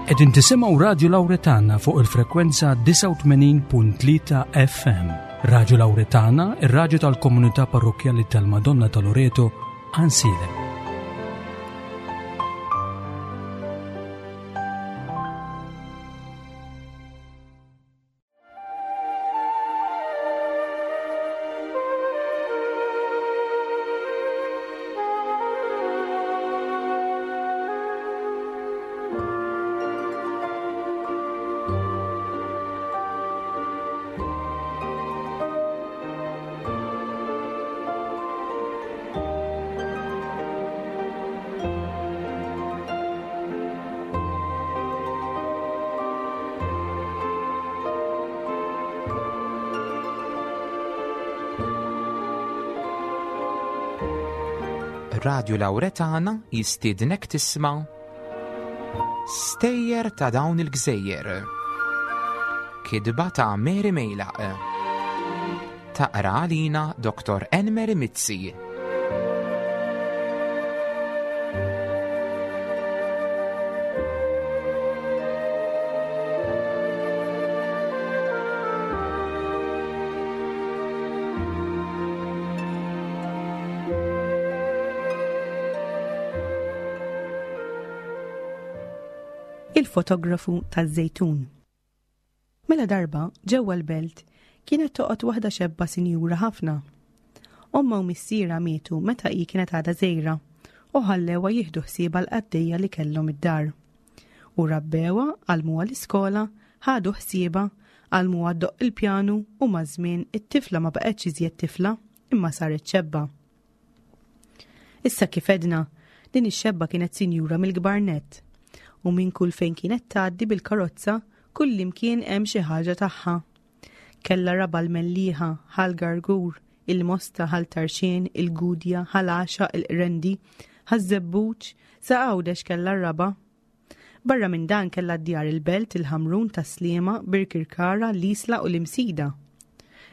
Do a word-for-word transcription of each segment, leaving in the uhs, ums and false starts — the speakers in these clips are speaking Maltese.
Qegħdin tisimgħu Radio Lauretana fuq il-frekwenza disgħa u tmenin punt tlieta F M. Radio Lauretana, ir-raġu tal-komunità parrokjali tal-Madonna ta' Loreto, Għajnsielem. Radio Lauretana jistiednek tisma' Stejjer ta' dawn il-gżejjer. Kitba ta' Mary Mejlaq. Taqra għalina Doktor Enmeri Mizzi. Il-fotografu taż-Żejtun. Mela darba, ġewwa l-belt, kienet toqgħod waħda xebba sinjura ħafna. Omma u missiera mietu meta hi kienet għadha żgħira u ħallewha jieħdu ħsiebha l-qaddejja li kellhom id-dar. U rabbewha, għallmuha l-iskola, ħadu ħsiebha, għallmuha ddoqq il-pjanu u maż-żmien it-tifla ma baqgħetx iżjed tifla imma saret xebba. Issa kif għedna, din ix-xebba kienet sinjura mill-kbar nett u minn kull fejn kienet tgħaddi bil-karozza kullimkien hemm xi ħaġa tagħha. Kella raba l-Mellieħa, Ħal Gargur, il-Mosta, Ħal Tarxien, il-Gudja, Ħal Għaxaq, il-Qrendi, Ħaż-Żebbuġ, sa Għawdex kella raba. Barra minn dan kella djar il-Belt, il-Ħamrun, Tas-Sliema, Birkirkara, l-Isla u l-Imsida.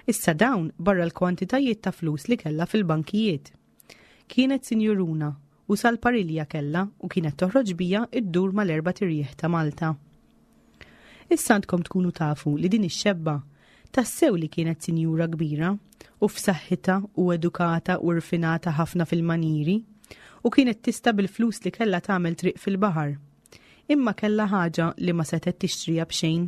Issa dawn barra l-kwantitajiet ta' flus li kella fil-bankijiet. Kienet sinjuruna u sal-parilja kella u kienet toħroġ bija iddur mal-erbat irjieħ ta' Malta. Issa għandkom tkunu tafu li din ix-xebba tassew li kienet sinjura kbira u f'saħħitha u edukata u rfinata ħafna fil-maniri u kienet tista' bil-flus li kella tagħmel triq fil-baħar. Imma kella ħaġa li ma setet tixtrija b'xejn.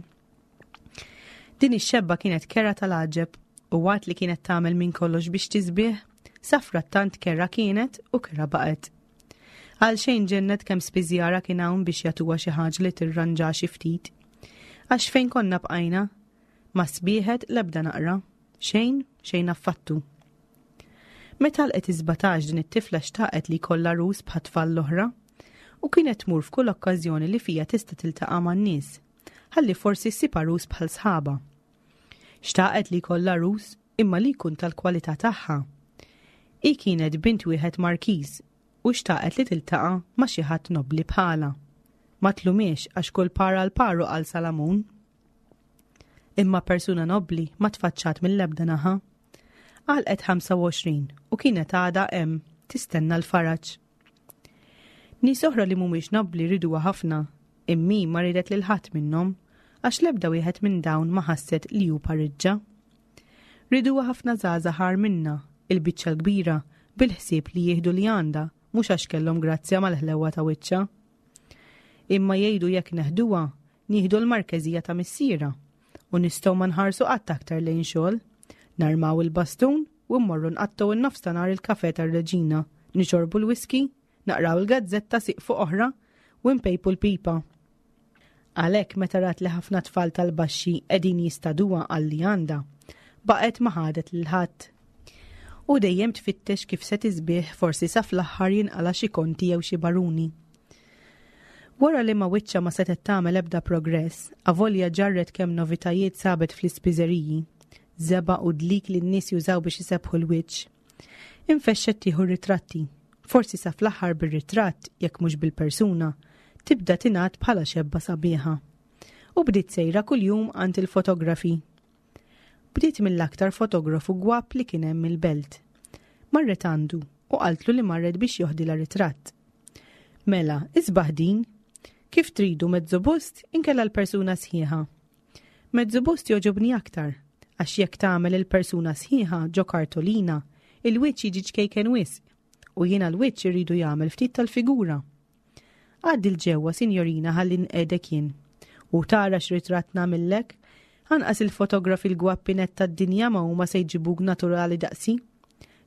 Din ix-xebba kienet kerha tal-għaġeb u waqt li kienet tagħmel minn kollox biex tisbieħ, safrattant kerha kienet u kerha baqgħet. Għal xejn ġennet kemm spiżjara kien hawn biex jagħtuha xi ħaġa li tirranġa xi ftit. Għax fejn konna bqajna, ma sbieħet l-ebda naqra, xejn, xejn affattu. Meta għalqet is-sbatax din it-tifla xtaqet li jkollha għarus bħat-tfal l-oħra u kienet tmur f'kull okkażjoni li fija tista' tiltaqa' man-nies, ħalli forsi ssib għarus bħal sħaba. Xtaqet li jkollha għarus imma li jkun tal-kwalità tagħha. Hi kienet bint wieħed markiż u xtaqet li tiltaqa' ma' xi ħadd nobli bħala. Ma tlumiex għax kull par għal paru għal Salamun. Imma persuna nobli ma tfaċċat mill-ebda naħa. Għalqet ħamsa u għoxrin u kienet għada hemm tistenna l-faraġ. Nies oħra li mhumiex nobli riduha ħafna, imma hi ma ridet lil ħadd minnhom għax l-ebda wieħed minn dawn ma ħasset li hu pariġġa. Riduha ħafna żgħażagħ minna, il-biċċa l-kbira, bil-ħsieb li jieħdu li għandha, mhux għax kellhom grazzja mal-ħlewa ta' wiċċha. Imma jgħidu jekk neħduha, nieħdu l-markeżija ta' missiera u nistgħu ma nħarsu qatt aktar lejn xogħol. Narmaw il-bastun u mmorru nqattgħu in-nofs ta' nhar il-kafe tar-reġina, nixorbu l-whisky, naqraw il-gazzetta siq fuq oħra u npejpu l-pipa. Għalhekk meta rat li ħafna tfal tal-baxxi qegħdin jistaduha għal li għandha, baqgħet ma ħadet lil ħadd. U dejjem tfittex kif se tisbieħ, forsi sa fl-aħħar jinqala xi konti jew xi baruni. Wara li ma wiċċa ma setet tagħmel ebda progress, avolja ġarret kemm novitajiet sabet fl-ispiżeriji, żebgħa u dlik li n-nies jużaw biex isebbħu l-wiċċ. Infexxet tieħu ritratti, forsi sa fl-aħħar bir-ritratt, jekk mhux bil-persuna, tibda tingħad bħala xebba sabiħa. U bdiet sejra kuljum għand il-fotografi. Bdiet mill-aktar fotografu gwapp li kien hemm il-belt. Marret għandu u qaltlu li marret biex joħdilha ritratt. Mela, isbaħ din, Kif tridu mezzobust inkella l-persuna sħiħa? Mezzobust jogħġobni aktar, għax jekk tagħmel il-persuna sħiħa ġo kartolina, il-wiċċ jiġi ċkejken wisq, u jiena l-wiċċ irridu jagħmel ftit tal-figura. Għaddi 'l ġewwa, sinjorina, ħalli nqegħdek jien. U tara x'ritratt nagħmillek, anqas il-fotografi l-gwappinet tad-dinja ma huma se jġibuk naturali daqsi.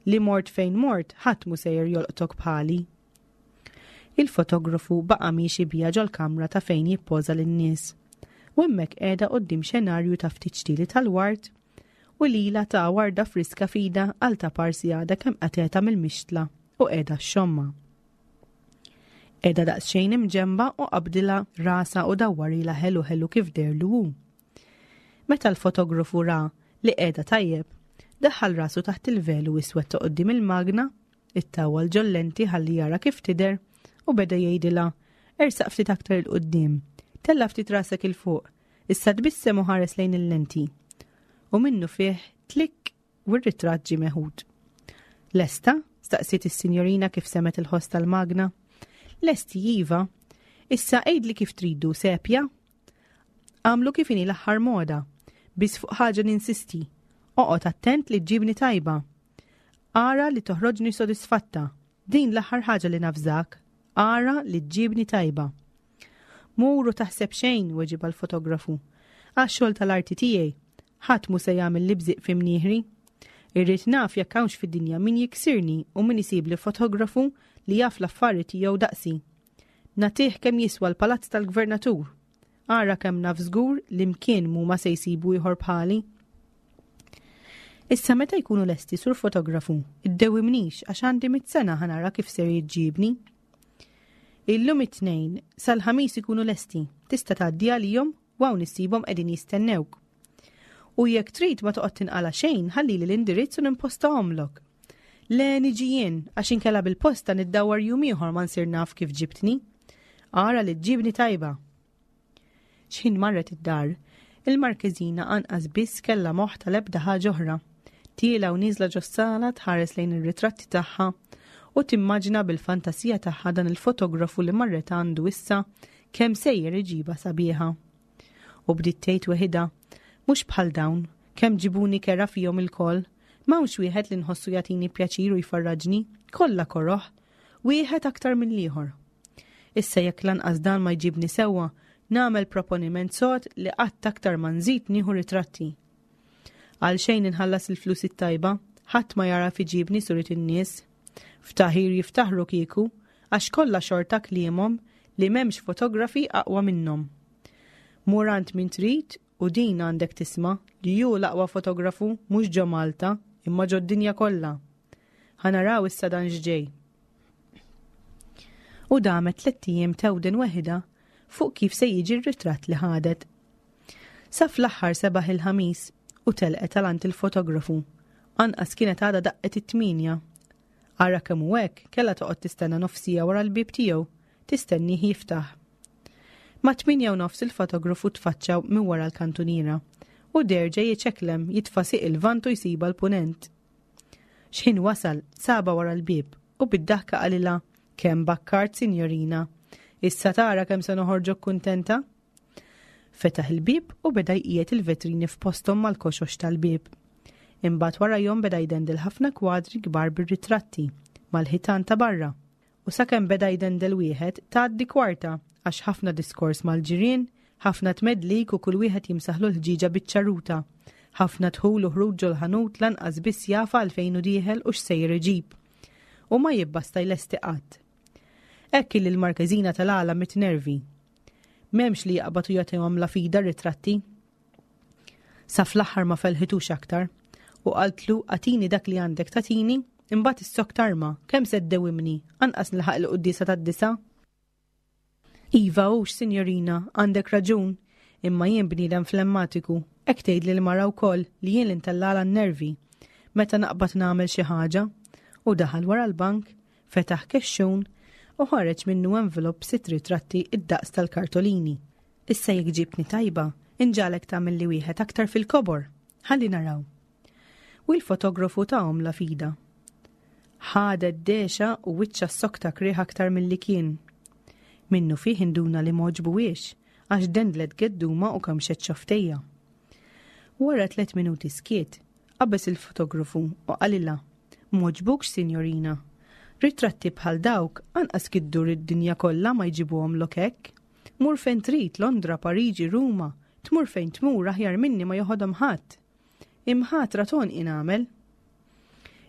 Li mort fejn mort, ħadd mu sejjer jolqtok bħali. Il-fotografu baqa' miexi bija ġol-kamra ta' fejn jippoża lin-nies. U hemmhekk qiegħda quddiem xenarju ta' ftit xtieli tal-ward u lila ta' warda friska fida għal ta' parsi għadha kemm qatgħetha mill-mixtla u qiegħda xxommha. Qiegħda daqsxejn imġemba u qabdilha rasha u dawwarilha ħelu ħelu kif deherlu hu. Meta l-fotografu ra li qiegħda tajjeb, daħħal rasu taħt il-velu iswed ta' quddiem il-magna, ittawwal ġol-lenti ħalli jara kif tidher u beda jgħidilha ersaq ftit aktar 'il quddiem, tella' ftit rasek 'il fuq, issa tbissem u ħares lejn il-lenti. U minnu fih klikk u r-ritratt ġie meħud. Lesta? Staqsiet is-sinjorina kif semgħet il-ħoss tal-magna. Lesti iva. Issa għidli kif tridu sepja? Għamlu kif inhi l-aħħar moda. Biss fuq ħaġa ninsisti. Oqgħod attent li ġġibni tajba. Ara li toħroġni sodisfatta. Din l-aħħar ħaġa li nafżak. Ara li ġġibni tajba. Mur u taħseb xejn, weġibha l-fotografu. Għax-xogħol tal-arti tiegħi, ħadd mu se jagħmel li bżiq fi mnieħri. Irrid naf jekk hawnx fid-dinja min jiksirni u min isib li fotografu li jaf l-affari tiegħu daqsi. Nagħtih kemm jiswa l-palazz tal-gvernatur. Ara kemm naf żgur li mkien mu ma se jsibu ieħor bħali. Issa meta jkunu lesti sur fotografu, iddewimnix għax għandi mitt sena ħa nara kif ser jiġġibni. Illum it-tnejn, sal-ħamis ikunu lesti, tista' tgħaddi għalihom u hawn issibhom qegħdin jistennewk. U jekk trid ma toqgħod tinqala xejn, ħallili l-indirizz u nimpostahomlok. Le niġi jien, għax inkella bil-posta niddawwar jum ieħor ma nsir naf kif ġibtni. Ara li ġġibni tajba. X'ħin marret id-dar, il-Markeżina anqas biss kellha moħħ tal-ebda ħaġa oħra. Tiela u nieżla ġos-sala tħares lejn ir-ritratti tagħha u timmaġina bil-fantasija tagħha dan il-fotografu li marret għandu issa kemm sejjer iġiba sabiħa. U bdiet tgħid weħidha, mhux bħal dawn, kemm ġibuni kerha fihom ilkoll, m'hawnx wieħed li nħossu jagħtini pjaċir u jfarraġni, kollha koroh, wieħed aktar mill-ieħor. Issa jekk lanqas dan ma jġibni sewwa, nagħmel proponiment sod li qatt aktar ma nżid nieħu ritratti. Għal xejn inħallas il-flus it-tajba, ħadd ma jara iġibni surit in-nies. Ftaħir jiftaħru kieku, għax kollha xorta kliemhom li m'hemmx fotografi aqwa minnhom. Mur għand min trid u din għandek tisma' li hu l-aqwa fotografu mhux ġo Malta imma ġo d-dinja kollha. Ħa naraw issa dan x'ġej. U damet tliet ijiem tewden weħida fuq kif se jiġi r-ritratt li ħadet. Sa fl-aħħar sebaħ il-ħamis u telqet għal għand il-fotografu. Anqas kienet għadha daqqet it-tminja. Ara kemm hu hekk, kellha toqgħod tistenna nofsija wara l-bieb tiegħu, tistennih jiftaħ. Ma' tminja u nofs il-fotografu tfaċċa minn wara l-kantuniera u derġa jiċeklem jitfa' sieq il-vant u jsiba l-punent. X'ħin wasal, saba wara l-bieb u bid-daħka qalilha, kemm bakkart, sinjorina, issa tara kemm se noħorġok kuntenta? Fetaħ il-bieb u beda jqiegħed il-vetrini f'posthom mal-koxox tal-bieb. Imbagħad warajhom beda jdendel ħafna kwadri kbar bir-ritratti mal-ħitan ta' barra. U sakemm beda jdendel wieħed tgħaddi kwarta għax ħafna diskors mal-ġirien, ħafna tmedlik u kull wieħed jimsaħlu l-ħġiġa biċ-ċarruta. Ħafna dħul u ħruġ ġol-ħanut lanqas biss jafa għalfejn u dieħel u x'sejjer iġib. U ma jibbasta jlesti qatt. Hekk li l-Markeżina tal-għala mit-nervi. M'hemmx li jaqbad u jagħtihom la fida ritratti. Sa fl-aħħar ma felħitux aktar u qaltlu agħtini dak li għandek tagħtini, imbagħad issok tarma, kemm se ddewimni, anqas nilħaq il-quddiesa tad-disa. Iva hux, sinjorina, għandek raġun, imma jien bniedem flemmatiku, hekk tgħidli l-mara wkoll li jien l-intellala n-nervi meta naqbad nagħmel xi ħaġa. U daħal wara l-bank, fetaħ kexxun u ħareġ minnu envelop sitt ritratti id-daqs tal-kartolini. Issa jekk ġibtni tajba, inġalek tagħmel li wieħed aktar fil-kobor. Ħalli naraw. U l-fotografu tahom la fida. Ħadet dexa u wiċċa s-sokta krieħ aktar milli kien. Minnufih induna li m'għoġbuhiex għax dendlet geddumha u kemxet xofftejha. Wara tliet minuti skiet, qabeż il-fotografu u qalilha: "M'għoġbukx, sinjorina? Ritratti bħal dawk anqas iddur id-dinja kollha ma jġibuhomlok hekk. Mur fejn trid, Londra, Pariġi, Ruma, tmur fejn tmur, aħjar minni ma joħodhom ħadd. Imħatra t'għonqi nagħmel."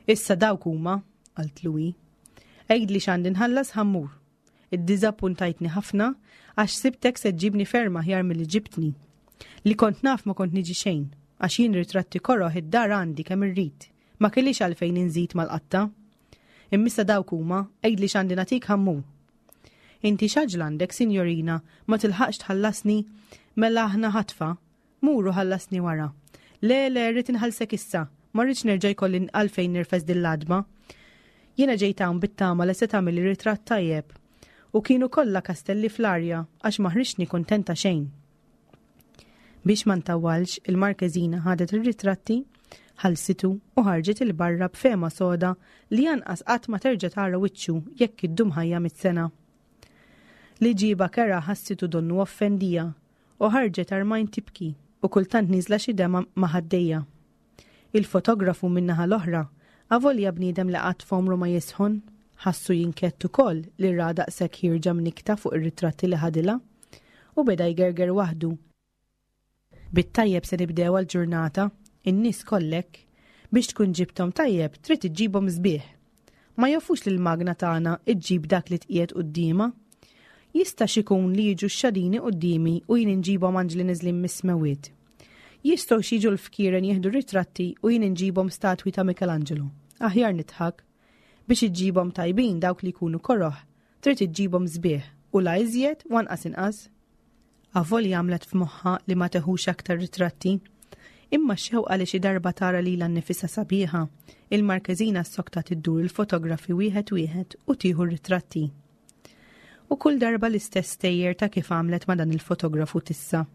"Issa dawk huma," qaltlu hi. "Għidli x'għandi nħallas, ħa mmur. Iddiżappuntajtni ħafna għax ħsibtek se ġġibni ferm aħjar milli ġibtni. Li kont naf ma kont niġi xejn, għax jien ritratti koroh id-dar għandi kemm irrid. Ma kellix għalfejn inżid mal-qatta. Imma issa dawk huma, għidli x'għandi nagħtik, ħa mmur." "Inti x'għaġla għandek, sinjorina, ma tilħaqx tħallasni? Mela aħna ħatfa. Mur u ħallasni wara." "Le, le, rrid inħallsek issa, ma rridx nerġa' jkolli għalfejn nirfes din. Jiena ġejt hawn bit-tama li se tagħmel ritratt tajjeb. U kienu kollha kastelli fl-arja għax ma ħriġtni kuntenta xejn." Biex ma ntawwalx, il-Markeżina ħadet ir-ritratti, ħallsitu u ħarġet 'il barra b'fehma soda li anqas qatt ma terġa' tara wiċċu jekk iddum ħajja mitt sena. Li ġiba kerha ħassitu donnu offendiha u ħarġet armajn tibki u kultant nieżla xi demgħa ma' ħaddejha. Il-fotografu min-naħa l-oħra, avolja bniedem li qatt f'għomru ma jisħon, ħassu jinkwieta ukoll li ra daqshekk ħierġa mnikta fuq ir-ritratti li ħadilha u beda jgerger waħdu. "Bit-tajjeb se nibdew għal-ġurnata, in-nies kollek, biex tkun ġibtom tajjeb trid iġġibhom sbieħ. Ma jafux li l-magna tagħna iġġib dak li tqiegħed quddiemha. Jista' xikun li jiġu x-xadini quddiemi u jien inġibhom anġli neżlin mis-smewwiet. Jistgħu jiġu l-fkieren jieħdu ritratti u jien inġibhom statwi ta' Michelangelo. Aħjar nidħak. Biex iġġibhom tajbin dawk li jkunu koroh, trid iġġibhom sbieħ u la iżjed u anqas inqas." Avolja għamlet f'moħħa li ma teħux aktar ritratti, imma xewqa li xi darba tara lilha nnifisha sabiħa, il-Markeżina ssoktat iddur il-fotografi wieħed wieħed u tieħu ritratti. U kull darba l-istess stejjer ta' kif għamlet ma' dan il-fotografu t'issa.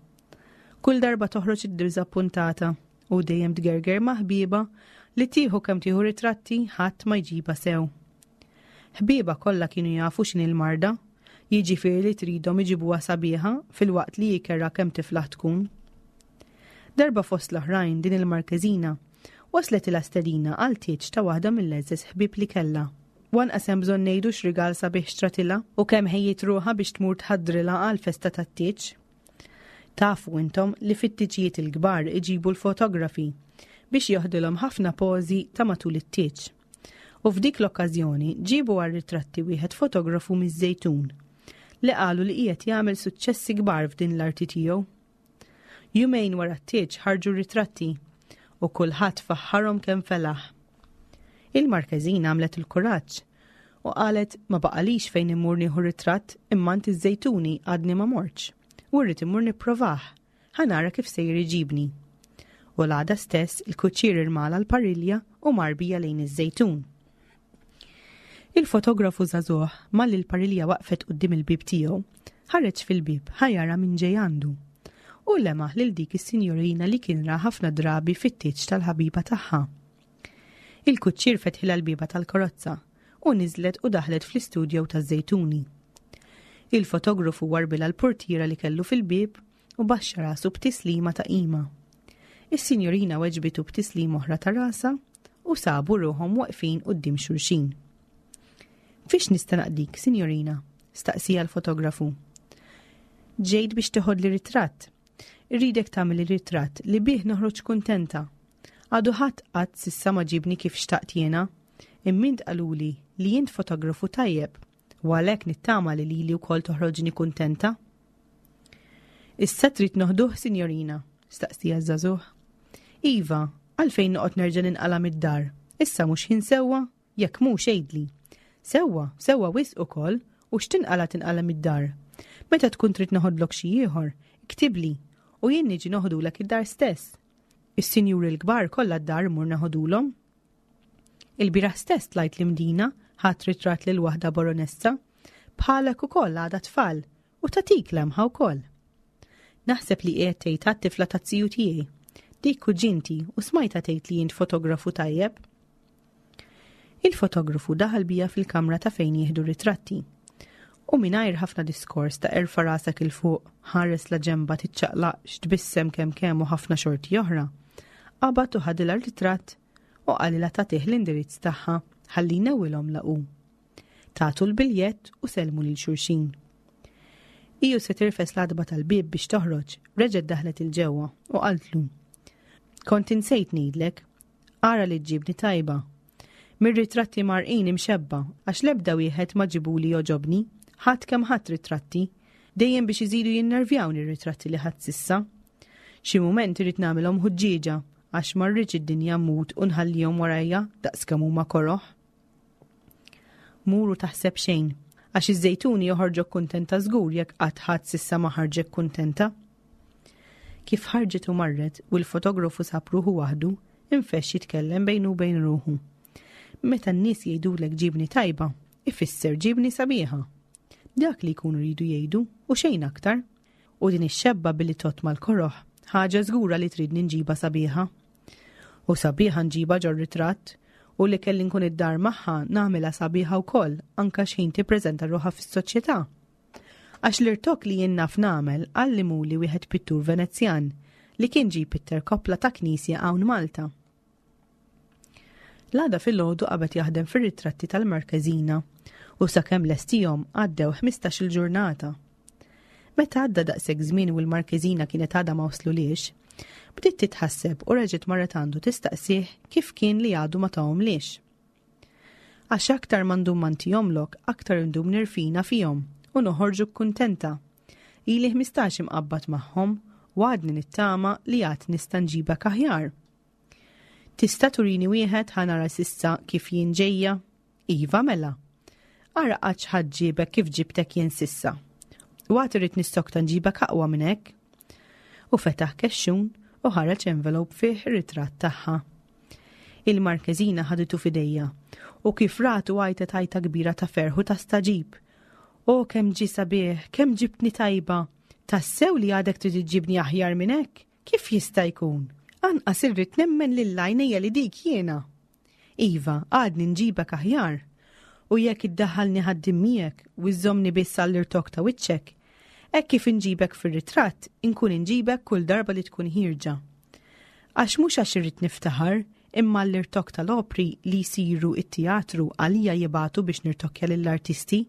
Kull darba toħroġ iddiżappuntata u dejjem tgerger ma' ħbiebha li tieħu kemm tieħu ritratti ħadd ma jġibha sew. Ħbiebha kollha kienu jafu x'inhi l-marda, jiġifieri li tridhom iġibuha sabiħa filwaqt li kerha kemm tiflaħ tkun. Darba fost l-oħrajn din il-Markeżina waslet stedina għal tieġ ta' waħda mill-eżeż ħbieb li kellha. U anqas hemm bżonn ngħidu x'rigal sabiħ xtratilha u kemm ħejjiet ruħha biex tmur tħaddrilha għal festa tat-tieġ. Tafu intom li fit-tiġijiet il-kbar iġibu l-fotografi biex joħdilhom ħafna pożi ta' matul it-tieġ. U f'dik l-okkażjoni ġibu għal ritratti wieħed fotografu miż-Żejtun li qalu li qiegħed jagħmel suċċessi kbar f'din l-arti tiegħu. Jumejn wara t-tieġ ħarġu ritratti u kulħadd faħħarhom kemm felaħ. Il-Markeżina għamlet il-kuraġġ u qalet: "Ma baqalix fejn immur nieħu ritratt imma għand iż-Żejtuni għadni ma mortx u rrid immur nipprovah, ħa nara kif sejjer iġibni." U l-għada stess il-kuċċier irmala l-parilja u mar biha lejn iż-Żejtun. Il-fotografu żagħżugħ, malli l-parilja waqfet quddiem il-bib tiegħu, ħareġ fil-bib ħa jara min ġej għandu. U lemaħ lil dik is-sinjorina li kien ra ħafna drabi fit-tieġ tal-ħabiba tagħha. Il-kuċċier fetħilha l-bieba tal-karozza u niżlet u daħlet fl-istudjo taż-Żejtuni. Il-fotografu warbilha l-portiera li kellu fil-bib u baxxa rasu b'tislima ta' qima. Is-sinjorina weġbitu b'tislima oħra ta' rasha u sabu ruħhom waqfin quddiem xulxin. "Fiex nista' naqdik, sinjorina?" staqsieha l-fotografu. "Ġejt biex teħodli ritratt. Irridek tagħmel ritratt li bih noħroġ kuntenta. Għadu ħadd qatt s'issa ma ġibni kif xtaqt jiena. Imma int qaluli li jint fotografu tajjeb u għalhekk nittama li lili wkoll toħroġni kuntenta." "Issa trid noħduh, sinjorina?" staqsieha ż-żagħżugħ. "Iva, għalfejn noqgħod nerġa' ninqala mid-dar? Issa mhux ħin sewwa, jekk mhux għidli." "Sewwa, sewwa wisq ukoll, u x'tinqala tinqala mid-dar. Meta tkun trid noħodlok xi ieħor, iktibli u jien niġi noħdulek id-dar stess. Is-sinjuri l-kbar kollha d-dar mur neħodulhom. Il-bieraħ stess tlajt l-Imdina, ħadt ritratt lil waħda baronessa, bħalek ukoll, għadha tfal u tatik lemħa wkoll. Naħseb li qiegħed tgħid għat-tifla taz-ziju tiegħi. Dik kuġinti u smajtha tgħid li int fotografu tajjeb." Il-fotografu daħal bija fil-kamra ta' fejn jieħdu ritratti. U mingħajr ħafna diskors ta' erfa' rasek 'il fuq, ħares la ġemba, tiċċaqlaqx, tbissem kemm kemm u ħafna xorti oħra. Qabad u ħadilha ritratt u qalilha tagħtih l-indirizz tagħha ħalli jnewwilhom laqu. Tatu l-biljett u selmu lil xulxin. Iju se tirfes l-għatba tal-bieb biex toħroġ, reġgħet daħlet 'il ġewwa u qaltlu: "Kont insejt ngħidlek, ara li ġġibni tajba. Mir-ritratti marqin imxebba għax l-ebda wieħed ma ġibuli joġobni, ħadd kemm ħadd ritratti, dejjem biex iżidu jinnervjawni r-ritratti li ħadd s'issa. Xi mument irrid nagħmilhom ħuġġieġa għax ma rridx id-dinja mmut u nħallihom warajja daqs kemm huma koroħ. Mur u taħseb xejn, għax iż-żejtuni joħorġok kuntenta żgur jekk qatt ħadd s'issa ma ħarġek kuntenta." Kif ħarġet u marret u l-fotografu sab ruħu waħdu, infexx jitkellem bejnu u bejn ruħu. Meta n-nies jgħidulek ġibni tajba, ifisser ġibni sabiħa. Dak li jkunu jridu jgħidu u xejn aktar. U din ix-xebba billi tot mal-koroħ, ħaġa żgura li tridni nġiba sabiħa. U sabiħa nġiba ġor ritratt u li kelli nkun id-dar magħha nagħmilha sabiħa wkoll anke x'ħin tippreżenta ruħha fis-soċjetà. Għax l-irtokk li jien naf nagħmel għallimuli wieħed pittur Venezjan li kien ġie pitter koppla ta' knisja hawn Malta. L-għada filgħodu qabad jaħdem fir-ritratti tal-Markeżina u sakemm lestihom għaddew ħmistax-il ġurnata. Meta għadda daqshekk żmien u l-Markeżina kienet għadha ma waslulix, bdiet titħasseb u reġgħet marret għandu tistaqsih kif kien li għadu ma tahomlix. Għax aktar ma ndum ma ntihomlok, aktar indum nirfina fihom u noħorġu kuntenta. Ili ħmistax imqabbad magħhom u għadni nittama li għad nista' nġibek aħjar. Tista' turini wieħed ħa nara s'issa kif jien ġejja? Iva mela. Ara qatt ħadd ġiebek kif ġibtek jien s'issa. U għad irrid nistokta nġibek aqwa minn hekk. U fetaħ kexxun u ħareġ envelope fih ir-ritratt tagħha. Il-Markeżina ħaditu f'idejha u kif ratu għajtet għajta kbira ta' ferħ u ta' staġib. O kemm ġie sabiħ, kemm ġibtni tajba, tassew li għadek trid iġġibni aħjar minn hekk? Kif jista' jkun? Anqas irrid nemmen lil għajnejja li dik jiena. Iva, għadni nġibek aħjar. U jekk iddaħħalni ħaddim miegħek u iżżommni biss għall-irtokk ta' wiċċek, hekk kif inġibek fir-ritratt, inkun inġibek kull darba li tkun ħierġa. Għax mhux għax irrid niftaħar, imma l-irtokk tal-opri li jsiru it-teatru għalija jibagħtu biex nirtokkja lill-artisti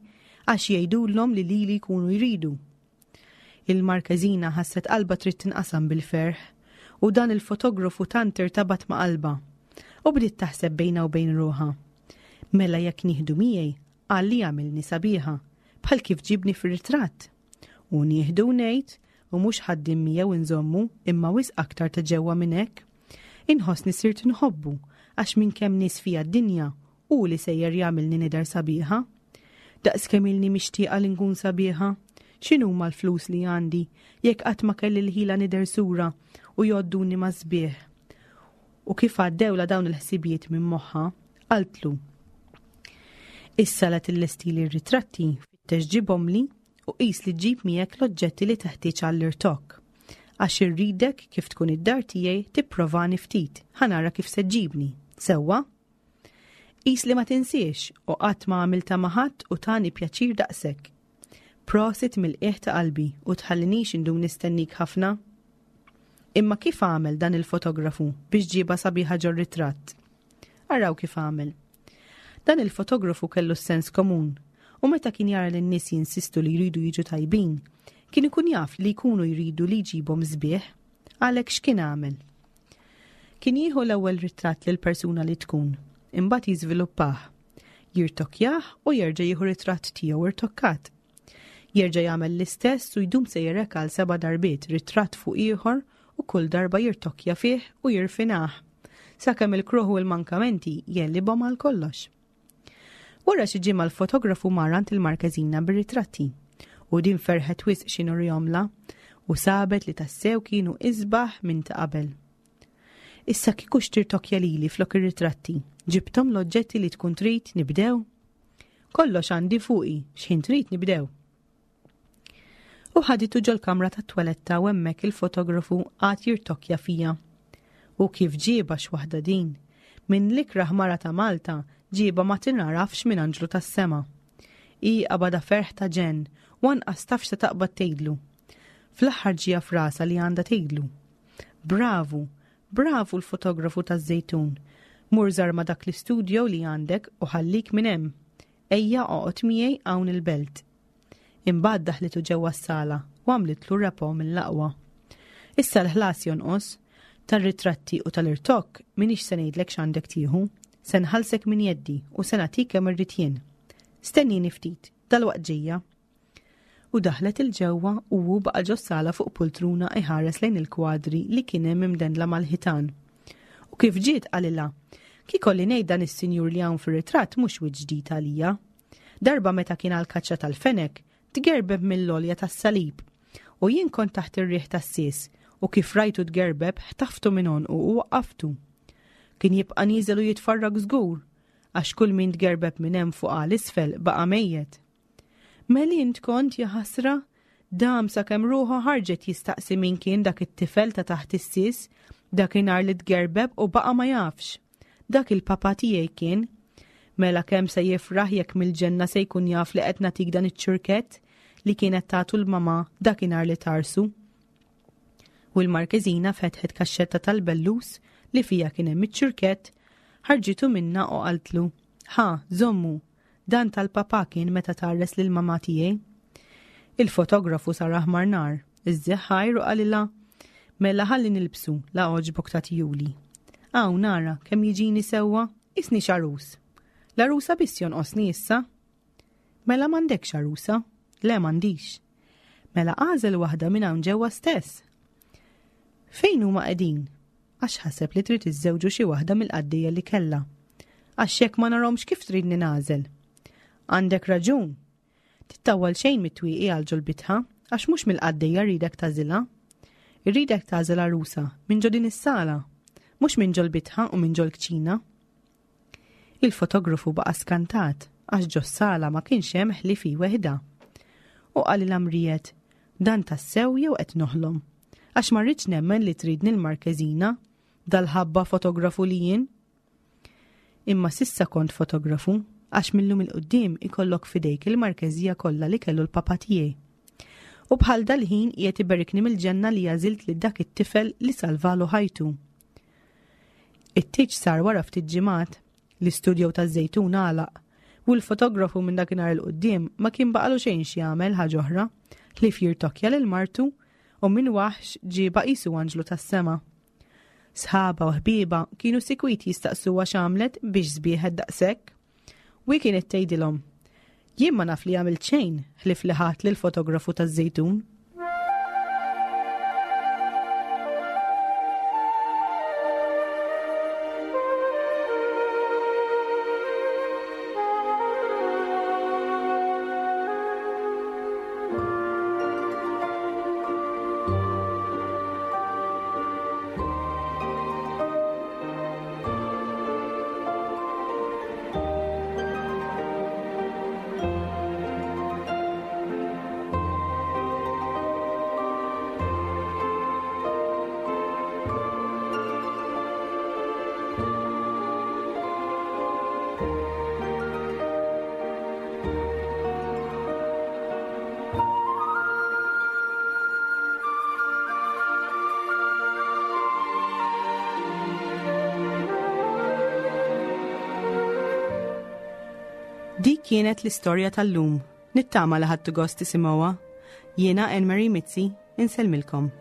għax jgħidulhom li lili jkunu jridu. Il-Markeżina ħasset qalba trid tinqasam bil-ferħ u dan il-fotografu tant irtabat ma' qalba u bdiet taħseb bejna u bejn ruħha. Mela jekk nieħdu miegħi, għalli għamilni sabiħa, bħal kif ġibni fir-ritratt. U nieħdu ngħid u mhux ħaddim miegħu nżommu imma wisq aktar ta' ġewwa minn hekk. Inħossni sirt nħobbu għax minn kemm nies fija d-dinja u li sejjer jagħmilni nidher sabiħa. Daqs kemm ilni mixtieqa li nkun sabiħa, x'inhuma l-flus li għandi jekk qatt ma kelli l-ħila nidher sura u jgħodduni ma' sbieħ. U kif għaddewla dawn il-ħsibijiet minn moħħa, qaltlu: Issa la tillestili r-ritratti, fittex ġibhomli u qis li ġġib miegħek l-oġġetti li teħtieġ għall-irtokk. Għax irridek kif tkun id-dar tiegħi tipprovani ftit, ħa nara kif se ġġibni. Sewwa? Qis li ma tinsiex u qatt ma għamilta ma' ħadd u tani pjaċir daqshekk. Prosit mill-qiegħ ta' qalbi u tħallinix indum nistennik ħafna. Imma kif għamel dan il-fotografu biex ġiba sabiħa ġor ritratt? Araw kif għamel. Dan il-fotografu kellu s-sens komun u meta kien jara lin-nies jinsistu li jridu jiġu tajbin, kien ikun jaf li jkunu jridu li jġibhom sbieħ, għalhekk x'kien għamel? Kien jieħu l-ewwel ritratt lil persuna li tkun, imbagħad jiżviluppah, jirtokjah u jerġa' jieħu ritratt tiegħu irtokkat. Jerġa' jagħmel l-istess u jdum sejjer hekk għal seba' darbiet ritratt fuq ieħor u kull darba jirtokja fih u jirfinah, sakemm il-kruħ u l-mankamenti jellibhom għal kollox. Wara xi ġimgħa l-fotografu mar għand il-Markeżina bir-ritratti u din ferħet wisq x'inhu rjomla u sabet li tassew kienu isbaħ minn ta' qabel. Issa kieku xtirtokja lili flok ir-ritratti, ġibthom l-oġġetti li tkun trid nibdew? Kollox għandi fuqi, x'ħin trid nibdew. U ħaditu ġol-kamra tat-twaletta u hemmhekk il-fotografu għad jirtokja fija. U kif ġieba x'waħda din, minn l-ikrah mara ta' Malta ġieba ma tinarafx minn anġlu tas-sema. Hi qabadha ferħ ta' ġenn u anqas taf x'se taqbad tgħidlu. Fl-aħħar ġieha f'rasha li għandha tgħidlu. Bravu, bravu l-fotografu taż-Żejtun. Mur żarma dak l-istudio li għandek u ħallik minn hemm. Ejja oqgħod miegħi hawn il-belt. Imbagħad daħlitu ġewwa s-sala u għamlitlu rapport mill-aqwa. Issa l-ħlas jonqos, tar-ritratti u tal-irtokk m'iniex se ngħidlek x'għandek tieħu, se nħallsek minn jeddi u se nagħtik kemm irrid jien. Stennini ftit, dalwaqt ġejja. U daħlet 'il ġewwa u hu baqa' ġos-sala fuq pultruna iħares lejn il-kwadri li kien hemm imdendla mal-ħitan. U kif ġiet qalilha, kiekolli ngħid dan is-sinjur li hawn fir-ritratt mhux wiċċ ġdid għalija. Darba meta kien għal kaċċa tal-fenek, tgerbeb mill-għolja tas-salib. U jien kont taħt ir-riħ tas-sies u kif rajtu tgerbeb ħtaftu minn għonqu u waqqaftu. Kien jibqa' nieżel u jitfarrak żgur, għax kull min tgerbeb minn hemm fuq għal isfel baqa' mejjet. Mela int kont jaħasra, dam sakemm ruħu ħarġet jistaqsi min kien dak it-tifel ta' taħt is-sies, dakinhar li tgerbeb u baqa' ma jafx. Dak il-papa tiegħi kien. Mela kemm se jifraħ jekk mill-ġenna se jkun jaf li qed nagħtik dan iċ-ċurkett li kienet tagħtu l-mama dakinhar li tarsu. U l-Markeżina fetħet kaxxetta tal-bellus li fija kien hemm iċ-ċurkett, ħarġitu minna u qaltlu, ħa, żommu, dan tal-papa kien meta tgħarres lil mama tiegħi. Il-fotografu sar aħmar nar, iżżeħħajr u qalilha, mela ħalli nilbsu la għoġbok tagħtihuli. Hawn nara kemm jiġini sewwa, qisni x'għarus. L-għarusa biss jonqosni issa. Mela m'għandekx għarusa? Le m'għandix. Mela għażel waħda minn hawn ġewwa stess. Fejn huma qegħdin? Għax ħaseb li trid iżżewġu xi waħda mill-qaddejja li kellha. Għax jekk ma narhomx kif tridni nagħżel. Għandek raġun. Tittawwal xejn mit-twieqi għal ġol-bitħa għax mhux mill-qaddejja rridek tagħżilha. Irridek tagħżel għarusa minn ġo din is-sala, mhux minn ġol-bitħa u minn ġol-kċina. Il-fotografu baqa' skantat għax ġos-sala ma kienx hemm ħlief hi weħda. U qalilha mrijet, dan tassew jew qed noħlom? Għax ma rridx nemmen li tridni l-Markeżina, dal-ħabba fotografu li jien. Imma sissa kont fotografu, għax millum il-qoddim ikollok fidejk il-Markeżija kollha li kellu l-papa tiegħi. U bħal dal-ħin qiegħed iberikni mill-ġenna li għażilt li dak it-tifel li salvalu ħajtu. It-tieġ sar wara ftit ġimgħat, l-istudjo taż-Żejtun għalaq, u l-fotografu minn dakinhar il-qudiem ma kien baqalu xejn x'jagħmel ħaġa oħra, ħlief jirtokja lil martu u minn waħx ġieba qisu anġlu tas-sema. Sħaba u ħbieba kienu sikwit jistaqsuha x'għamlet biex sbieħet daqshekk. U hi kienet tgħidilhom, jien ma naf li għamilt xejn ħlief li ħadt lill-fotografu taż-Żejtun. Dik kienet l-istorja tal-lum. Nittama li ħadtu gost tisimgħuha. Jiena Anne Marie Mizzi, insellmilkom.